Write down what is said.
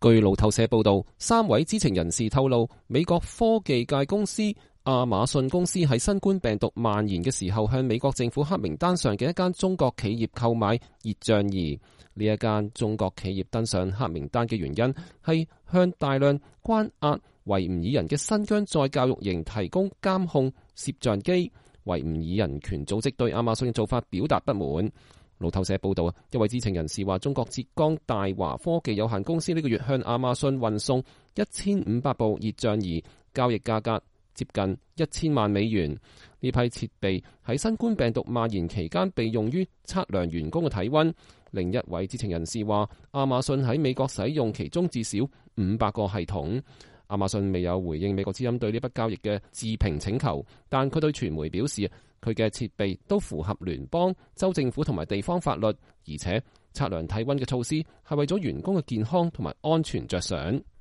據路透社報道，3位知情人士透露，美國科技界公司亞馬遜公司喺新冠病毒蔓延嘅時候，向美國政府黑名單上嘅一間中國企業購買熱像儀。呢一間中國企業登上黑名單嘅原因係向大量關押維吾爾人嘅新疆再教育營提供監控攝像機。維吾爾人權組織對亞馬遜嘅做法表達不滿。路透社報道，一位知情人士話，中國浙江大華科技有限公司呢個月向亞馬遜運送1500部熱像儀，交易價格接近1000萬美元。呢批設備喺新冠病毒蔓延期間被用於測量員工嘅體溫。另一位知情人士話，亞馬遜喺美國使用其中至少500個系統。亞馬遜未有回應美國之音對呢筆交易嘅置評請求，但佢對傳媒表示，佢嘅設備都符合聯邦、州政府同埋地方法律，而且測量體溫嘅措施係為咗員工嘅健康同埋安全着想。